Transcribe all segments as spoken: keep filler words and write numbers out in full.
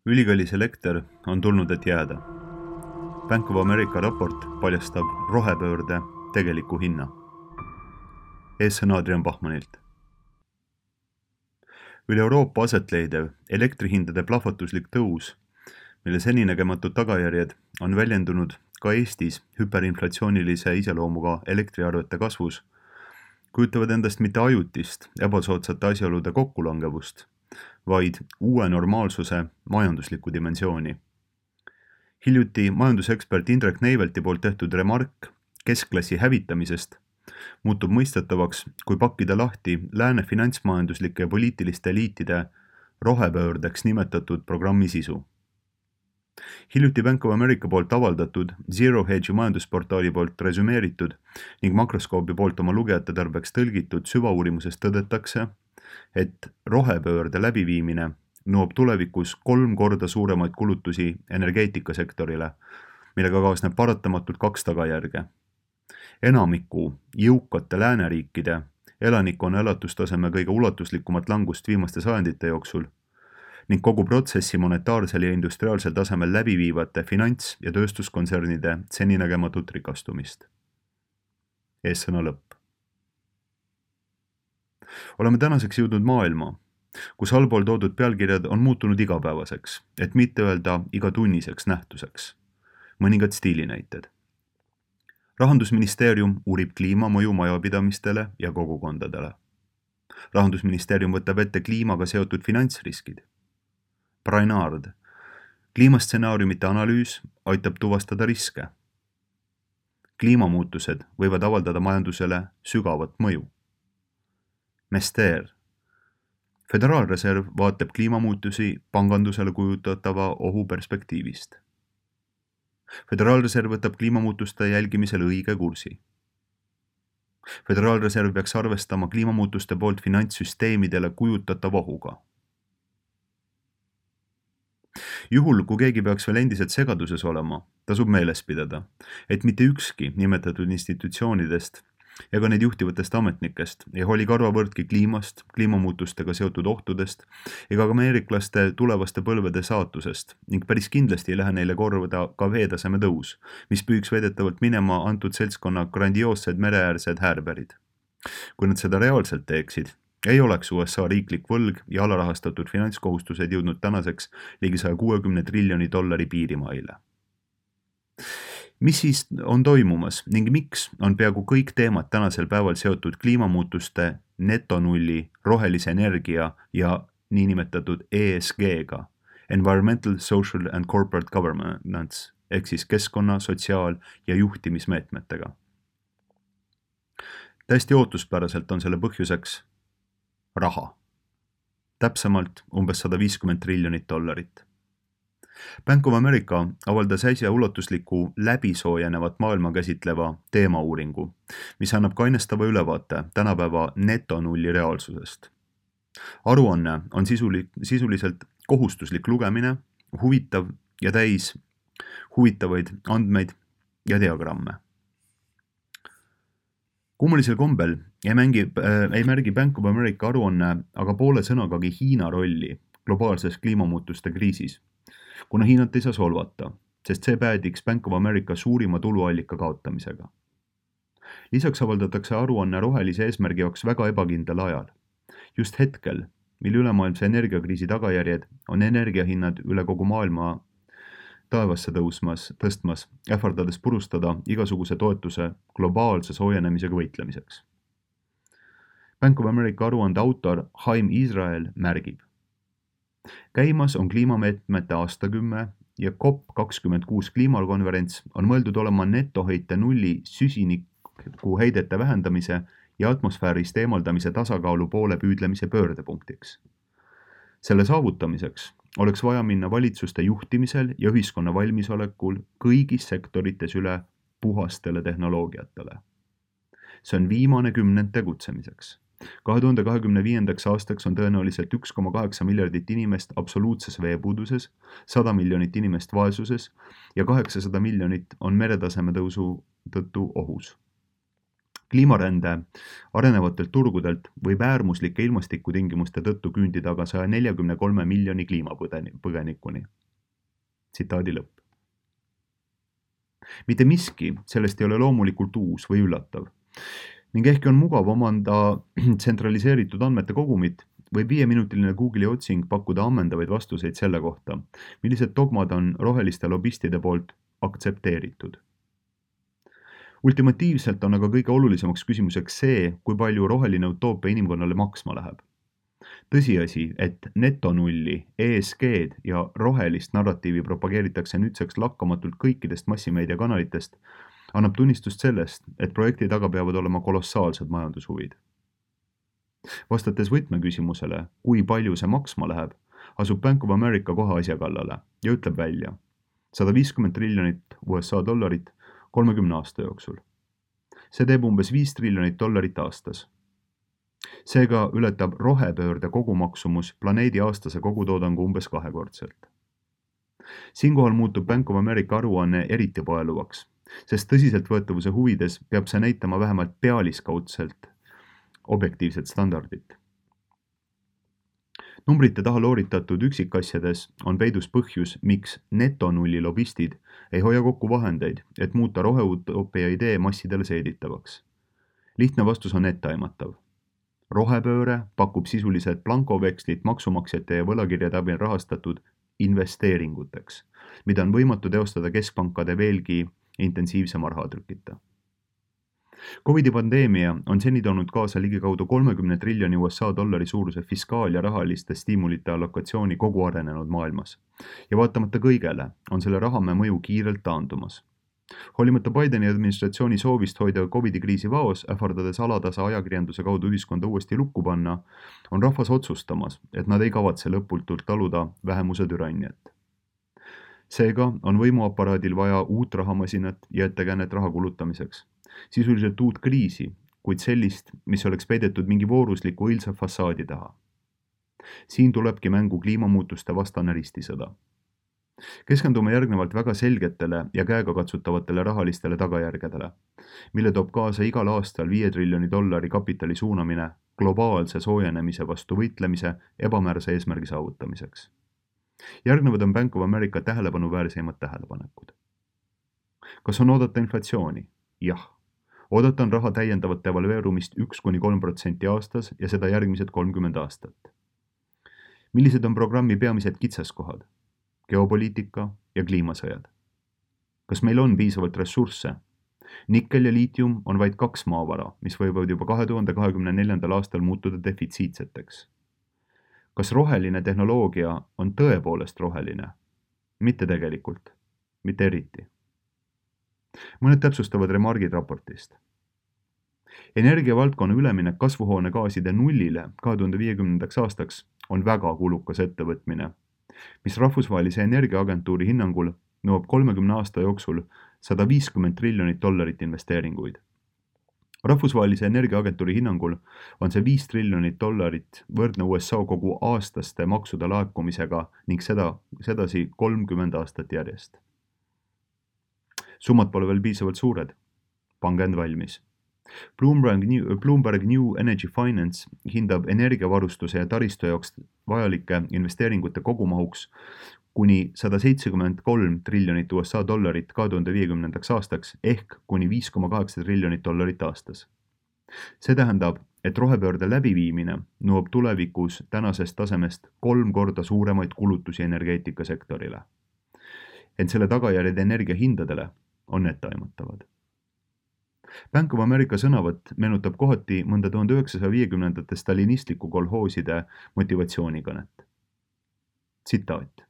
Ülikallis elekter on tulnud, et jääda. Bank of America raport paljastab rohepöörde tegeliku hinna. Eessõna Adrian Bachmanilt. Üle Euroopa asetleidev elektrihindade plahvatuslik tõus, mille seninägematud tagajärjed on väljendunud ka Eestis hüperinflatsioonilise iseloomuga elektriarvete kasvus, kujutavad endast mitte ajutist ebasoodsate asjaolude kokkulangevust, vaid uue normaalsuse majanduslikku dimensiooni. Hiljuti majandusekspert Indrek Neivelti poolt tehtud remark keskklassi hävitamisest muutub mõistetavaks, kui pakkida lahti lääne finantsmajanduslike ja poliitiliste eliitide rohepöördeks nimetatud programmi sisu. Hiljuti Bank of America poolt avaldatud, Zero Hedge'i majandusportaali poolt resümeeritud ning makroskoopi poolt oma lugejate tarbeks tõlgitud süvauurimuses tõdetakse, et rohepöörde läbiviimine nõuab tulevikus kolm korda suuremaid kulutusi energeetikasektorile, millega kaasneb paratamatult kaks tagajärge. Enamiku jõukate lääneriikide elanikkonna elatustaseme kõige ulatuslikumat langust viimaste sajandite jooksul ning kogu protsessi monetaarsel ja industriaalsel tasemel läbiviivate finants- ja tööstuskontsernide seninägematut rikastumist. Eessõna lõpp. Oleme tänaseks jõudnud maailma, kus allpool toodud pealkirjad on muutunud igapäevaseks, et mitte öelda igatunniseks nähtuseks. Mõningad stiilinäited. Rahandusministeerium uurib kliimamõju majapidamistele ja kogukondadele. Rahandusministeerium võtab ette kliimaga seotud finantsriskid. Brainard. Kliimastsenaariumite analüüs aitab tuvastada riske. Kliimamuutused võivad avaldada majandusele sügavat mõju. Mester. Föderaalreserv vaatab kliimamuutusi pangandusele kujutatava ohu perspektiivist. Föderaalreserv võtab kliimamuutuste jälgimisel õige kursi. Föderaalreserv peaks arvestama kliimamuutuste poolt finantssüsteemidele kujutatava ohuga. Juhul, kui keegi peaks veel endiselt segaduses olema, tasub meeles pidada, et mitte ükski nimetatud institutsioonidest ega neid juhtivatest ametnikest ei hooli karvavõrdki kliimast, kliimamuutustega seotud ohtudest ega ka ameeriklaste tulevaste põlvede saatusest ning päris kindlasti ei lähe neile korvada ka veetaseme tõus, mis püüks veedetavalt minema antud seltskonna grandioossed mereäärsed häärberid. Kui nad seda reaalselt teeksid, ei oleks U S A riiklik võlg ja alarahastatud finantskohustused jõudnud tänaseks ligi saja kuuekümne triljoni dollari piirimaile. Mis siis on toimumas ning miks on peaaegu kõik teemad tänasel päeval seotud kliimamuutuste netonulli, rohelise energia ja niinimetatud E S G-ga, Environmental, Social and Corporate Governance, ehk siis keskkonna, sotsiaal- ja juhtimismeetmetega. Täiesti ootuspäraselt on selle põhjuseks raha. Täpsemalt umbes sada viiskümmend triljonit dollarit. Bank of America avaldas äsja ulatusliku läbisoojenevat maailma käsitleva teemauuringu, mis annab kainestava ülevaate tänapäeva netonulli reaalsusest. Aruanne on sisuli, sisuliselt kohustuslik lugemine, huvitav ja täis huvitavaid andmeid ja diagramme. Kummulisel kombel ei, mängi, äh, ei märgi Bank of America aruanne aga poole sõnagagi Hiina rolli globaalses kliimamuutuste kriisis, kuna Hiinat ei saa solvata, sest see päädiks Bank of America suurima tuluallika kaotamisega. Lisaks avaldatakse aruanne rohelise eesmärgi jaoks väga ebakindlal ajal. Just hetkel, mil ülemaailmse energiakriisi tagajärjed on energiahinnad üle kogu maailma taevasse tõusmas, tõstmas, ähvardades purustada igasuguse toetuse globaalse soojenemisega võitlemiseks. Bank of America aruande autor Haim Israel märgib. Käimas on kliimameetmete aastakümme ja COP kakskümmend kuus kliimakonverents on mõeldud olema netoheite nulli süsiniku heidete vähendamise ja atmosfäärist eemaldamise tasakaalu poole püüdlemise pöördepunktiks. Selle saavutamiseks oleks vaja minna valitsuste juhtimisel ja ühiskonna valmisolekul kõigis sektorites üle puhastele tehnoloogiatele. See on viimane kümnend tegutsemiseks. kahe tuhande kahekümne viiendaks aastaks on tõenäoliselt üks koma kaheksa miljardit inimest absoluutses veepuuduses, sada miljonit inimest vaesuses ja kaheksasada miljonit on meretaseme tõusu tõttu ohus. kliimarände arenevatelt turgudelt võib äärmuslike ilmastikutingimuste tõttu küündida aga saja neljakümne kolme miljoni kliimapõgenikuni. Tsitaadi lõpp. Mitte miski sellest ei ole loomulikult uus või üllatav ning ehkki on mugav omanda tsentraliseeritud andmete kogumit, võib viieminutiline Google'i otsing pakkuda ammendavaid vastuseid selle kohta, millised dogmad on roheliste lobistide poolt aktsepteeritud. Ultimatiivselt on aga kõige olulisemaks küsimuseks see, kui palju roheline utoopia inimkonnale maksma läheb. Tõsiasi, et netonulli, E S G-d ja rohelist narratiivi propageeritakse nüüdseks lakkamatult kõikidest massimeediakanalitest, annab tunnistust sellest, et projekti taga peavad olema kolossaalsed majandushuvid. Vastates võtmeküsimusele, kui palju see maksma läheb, asub Bank of America kohe asja kallale ja ütleb välja sada viiskümmend triljonit U S A dollarit kolmekümne aasta jooksul. See teeb umbes viis triljonit dollarit aastas. Seega ületab rohepöörde kogumaksumus planeedi aastase kogutoodangu umbes kahekordselt. Siinkohal muutub Bank of America aruanne eriti paeluvaks, sest tõsiseltvõetavuse huvides peab see näitama vähemalt pealiskaudselt objektiivset standardit. Numbrite taha looritatud üksikasjades on peidus põhjus, miks netonulli lobistid ei hoia kokku vahendeid, et muuta roheutopia idee massidele seeditavaks. Lihtne vastus on etteaimatav. Rohepööre pakub sisuliselt blankovekslit maksumaksjate ja võlakirjade abil rahastatud investeeringuteks, mida on võimatu teostada keskpankade veelgi intensiivsema rahatrükita. Covidi pandeemia on seni toonud kaasa ligikaudu kolmekümne triljoni U S A dollari suuruse fiskaal- ja rahaliste stiimulite allokatsiooni kogu arenenud maailmas. Ja vaatamata kõigele on selle rahamäe mõju kiirelt taandumas. Hoolimata Bideni administratsiooni soovist hoida Covidi kriisi vaos, ähvardades alatasa ajakirjanduse kaudu ühiskonda uuesti lukku panna, on rahvas otsustamas, et nad ei kavatse lõputult taluda vähemuse türanniat. Seega on võimuaparaadil vaja uut rahamasinat ja ettekäänet raha kulutamiseks. Sisuliselt uut kriisi, kuid sellist, mis oleks peidetud mingi voorusliku õilsa fassaadi taha. Siin tulebki mängu kliimamuutuste vastane ristisõda. Keskendume järgnevalt väga selgetele ja käegakatsutavatele rahalistele tagajärgedele, mille toob kaasa igal aastal viie triljoni dollari kapitali suunamine globaalse soojenemise vastu võitlemise ebamäärase eesmärgi saavutamiseks. Järgnevad on Bank of America tähelepanuväärseimad tähelepanekud. Kas on oodata inflatsiooni? Jah. Oodata on raha täiendavat devalveerumist üks kuni kolm protsenti aastas ja seda järgmised kolmkümmend aastat. Millised on programmi peamised kitsaskohad? Geopoliitika ja kliimasõjad. Kas meil on piisavalt ressursse? Nikkel ja liitium on vaid kaks maavara, mis võivad juba kahe tuhande kahekümne neljandal aastal muutuda defitsiitseteks. Kas roheline tehnoloogia on tõepoolest roheline? Mitte tegelikult, mitte eriti. Mõned täpsustavad remargid raportist. Energiavaldkonna üleminek kasvuhoonegaaside nullile kahe tuhande viiekümnendaks aastaks on väga kulukas ettevõtmine, mis rahvusvahelise energiaagentuuri hinnangul nõuab kolmekümne aasta jooksul sada viiskümmend triljonit dollarit investeeringuid. Rahvusvahelise energiaagentuuri hinnangul on see viis triljonit dollarit võrdne U S A kogu aastaste maksude laekumisega ning seda, sedasi kolmkümmend aastat järjest. Summad pole veel piisavalt suured. Pange end valmis. Bloomberg New, Bloomberg New Energy Finance hindab energiavarustuse ja taristu jaoks vajalike investeeringute kogumahuks kuni sada seitsekümmend kolm triljonit U S A dollarit kahe tuhande viiekümnendaks aastaks ehk kuni viis koma kaheksa triljonit dollarit aastas. See tähendab, et rohepöörde läbiviimine nõuab tulevikus tänasest tasemest kolm korda suuremaid kulutusi energeetikasektorile. Ent selle tagajärjed energiahindadele on etteaimatavad. Bank of America sõnavõtt meenutab kohati mõnda tuhande üheksasaja viiekümnendate stalinistliku kolhooside motivatsioonikõnet. Tsitaat.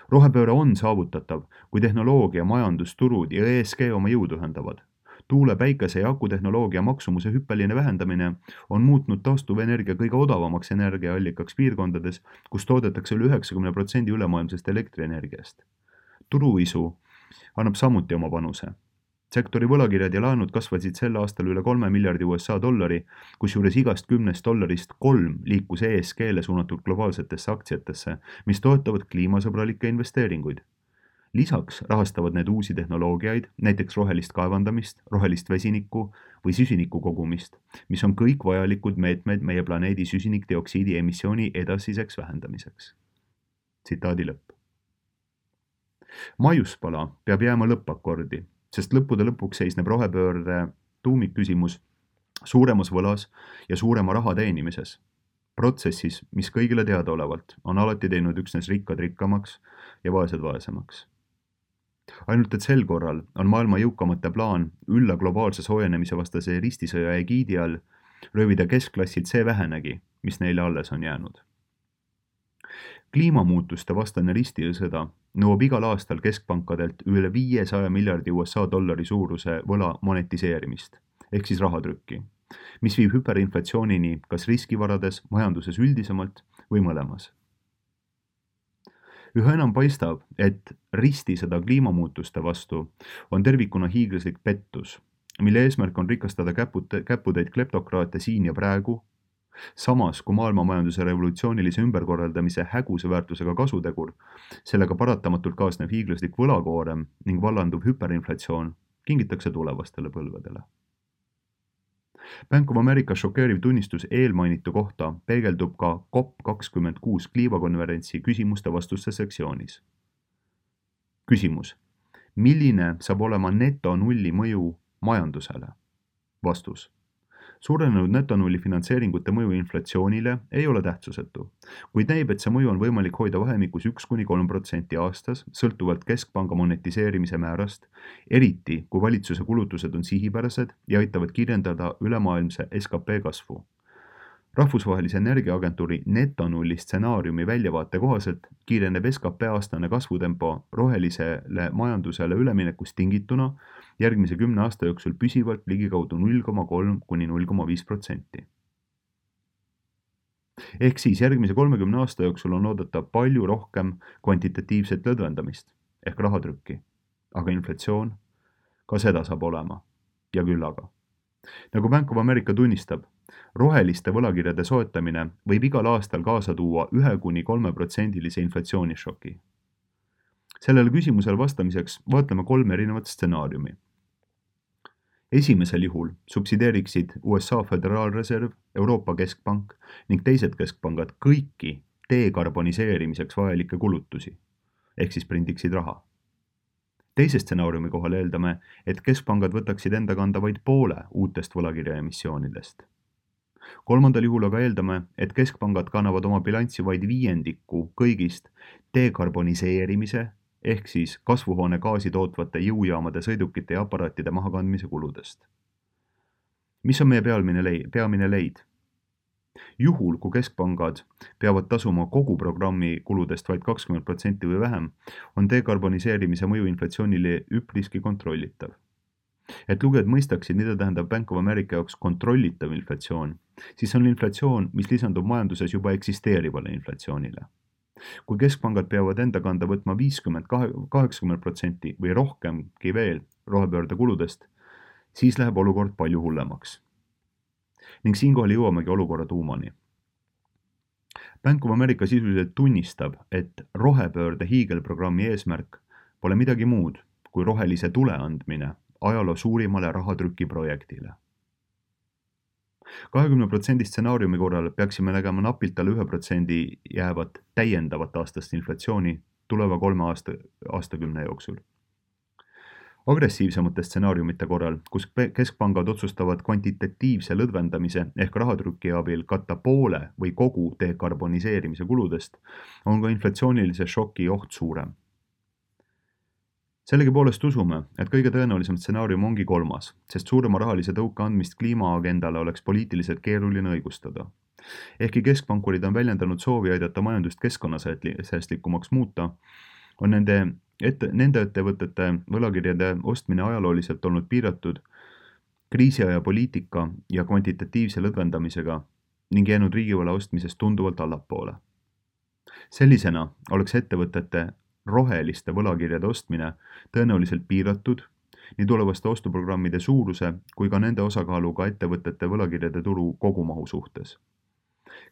Rohepööre on saavutatav, kui tehnoloogia, majandusturud ja E S G oma jõudu ühendavad. Tuule, päikese ja akutehnoloogia maksumuse hüppeline vähendamine on muutnud taastuvenergia kõige odavamaks energiaallikaks piirkondades, kus toodetakse üle üheksakümne protsendi ülemaailmsest elektrienergiast. Turuisu annab samuti oma panuse. Sektori võlakirjad ja laenud kasvasid sel aastal üle kolme miljardi U S A dollari, kusjuures igast kümnest dollarist kolm liikus E S G-le suunatud globaalsetesse aktsiatesse, mis toetavad kliimasõbralikke investeeringuid. Lisaks rahastavad need uusi tehnoloogiaid, näiteks rohelist kaevandamist, rohelist vesinikku või süsiniku kogumist, mis on kõik vajalikud meetmed meie planeedi süsinikdioksiidi emissiooni edasiseks vähendamiseks. Tsitaadi lõpp. Maiuspala peab jääma lõppakordi, sest lõppude lõpuks seisneb rohepöörde tuumikküsimus suuremas võlas ja suurema raha teenimises. Protsessis, mis kõigile teadaolevalt on alati teinud üksnes rikkad rikkamaks ja vaesed vaesemaks. Ainult et sel korral on maailma jõukamate plaan ülla globaalse soojenemise vastase ristisõja egiidi all röövida keskklassilt see vähenegi, mis neile alles on jäänud. Kliimamuutuste vastane ristisõda nõuab igal aastal keskpankadelt üle viiesaja miljardi U S A dollari suuruse võla monetiseerimist, ehk siis rahatrükki, mis viib hüperinflatsioonini kas riskivarades, majanduses üldisemalt või mõlemas. Üha enam paistab, et ristisõda kliimamuutuste vastu on tervikuna hiiglaslik pettus, mille eesmärk on rikastada käpute, käputäid kleptokraate siin ja praegu, samas kui maailmamajanduse revolutsioonilise ümberkorraldamise häguse väärtusega kasutegur, sellega paratamatult kaasnev hiiglaslik võlakoorem ning vallanduv hüperinflatsioon kingitakse tulevastele põlvedele. Bank of America šokeeriv tunnistus eelmainitu kohta peegeldub ka COP kakskümmend kuus kliimakonverentsi küsimuste-vastuste sektsioonis. Küsimus. Milline saab olema netonulli mõju majandusele? Vastus. Suurenenud netonulli finantseeringute mõju inflatsioonile ei ole tähtsusetu, kuid näib, et see mõju on võimalik hoida vahemikus üks kuni kolm protsenti aastas, sõltuvalt keskpanga monetiseerimise määrast, eriti kui valitsuse kulutused on sihipärased ja aitavad kirjeldada ülemaailmse S K P kasvu. Rahvusvahelise energiaagentuuri netonulli stsenaariumi väljavaate kohaselt kiireneb S K P aastane kasvutempo rohelisele majandusele üleminekust tingituna järgmise kümne aasta jooksul püsivalt ligikaudu null koma kolm kuni null koma viis protsenti. Ehk siis järgmise kolmekümne aasta jooksul on oodata palju rohkem kvantitatiivset lõdvendamist ehk rahatrükki, aga inflatsioon, ka seda saab olema ja küllaga. Nagu Bank of America tunnistab, roheliste võlakirjade soetamine võib igal aastal kaasa tuua ühe kuni kolme protsendilise inflatsioonišoki. Sellele küsimusele vastamiseks vaatleme kolm erinevat stsenaariumi. Esimesel juhul subsideeriksid U S A Föderaalreserv, Euroopa Keskpank ning teised keskpangad kõiki dekarboniseerimiseks vajalikke kulutusi, ehk siis prindiksid raha. Teise stsenaariumi kohal eeldame, et keskpangad võtaksid enda kanda vaid poole uutest võlakirja emissioonidest. Kolmandal juhul aga eeldame, et keskpangad kannavad oma bilanssi vaid viiendiku kõigist dekarboniseerimise ehk siis kasvuhoonegaasi tootvate jõujaamade sõidukite ja aparaatide mahakandmise kuludest. Mis on meie peamine leid? Peamine leid? Juhul, kui keskpangad peavad tasuma kogu programmi kuludest vaid kakskümmend protsenti või vähem, on dekarboniseerimise mõju inflatsioonile üpriski kontrollitav. Et lugejad mõistaksid, mida tähendab Bank of America jaoks kontrollitav inflatsioon, siis on inflatsioon, mis lisandub majanduses juba eksisteerivale inflatsioonile. Kui keskpangad peavad enda kanda võtma viiskümmend kaheksakümmend protsenti või rohkemgi veel rohepöörde kuludest, siis läheb olukord palju hullemaks. Ning siinkohal jõuamegi olukorra tuumani. Bank of America sisuliselt tunnistab, et rohepöörde hiigelprogrammi eesmärk pole midagi muud kui rohelise tule andmine ajaloo suurimale rahatrüki projektile. kahekümne protsendi stsenaariumi korral peaksime nägema napilt alla ühe protsendi jäävat täiendavat aastast inflatsiooni tuleva kolme aasta, aastakümne jooksul. Agressiivsemate stsenaariumite korral, kus keskpangad otsustavad kvantitatiivse lõdvendamise ehk rahatrüki abil katta poole või kogu dekarboniseerimise kuludest, on ka inflatsioonilise šoki oht suurem. Sellegipoolest usume, et kõige tõenäolisem stsenaarium ongi kolmas, sest suurema rahalise tõuke andmist kliimaagendale oleks poliitiliselt keeruline õigustada. Ehkki keskpankurid on väljendanud soovi aidata majandust keskkonnasäästlikumaks muuta, on nende, ette, nende ettevõtete võlakirjade ostmine ajalooliselt olnud piiratud kriisiaja poliitika ja kvantitatiivse lõdvendamisega ning jäänud riigivõla ostmisest tunduvalt allapoole. Sellisena oleks ettevõtete roheliste võlakirjade ostmine tõenäoliselt piiratud nii tulevaste ostuprogrammide suuruse kui ka nende osakaaluga ettevõtete võlakirjade turu kogumahu suhtes.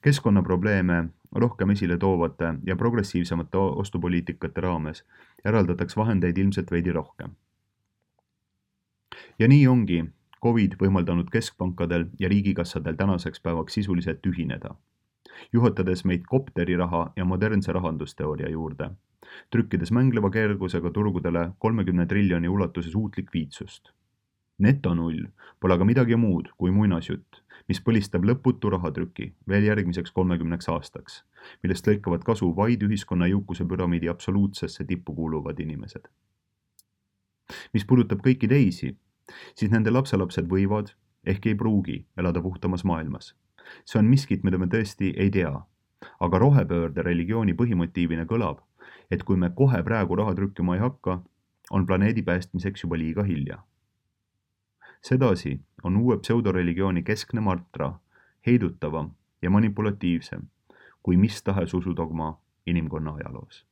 Keskkonnaprobleeme rohkem esile toovate ja progressiivsemate ostupoliitikate raames eraldatakse vahendeid ilmselt veidi rohkem. Ja nii ongi Covid võimaldanud keskpankadel ja riigikassadel tänaseks päevaks sisuliselt ühineda, juhatades meid kopteriraha ja modernse rahandusteooria juurde, trükkides mängleva kergusega turgudele kolmekümne triljoni ulatuses uut likviidsust. Netonull pole aga midagi muud kui muinasjutt, mis põlistab lõputu rahatrüki veel järgmiseks kolmekümneks aastaks, millest lõikavad kasu vaid ühiskonna jõukuse püramiidi absoluutsesse tippu kuuluvad inimesed. Mis puudutab kõiki teisi, siis nende lapselapsed võivad, ehk ei pruugi, elada puhtamas maailmas. See on miskit, mida me tõesti ei tea, aga rohepöörde religiooni põhimotiivina kõlab, et kui me kohe praegu raha trükkima ei hakka, on planeedi päästmiseks juba liiga hilja. Sedasi on uue pseudoreligiooni keskne mantra heidutavam ja manipulatiivsem kui mis tahes usudogma inimkonna ajaloos.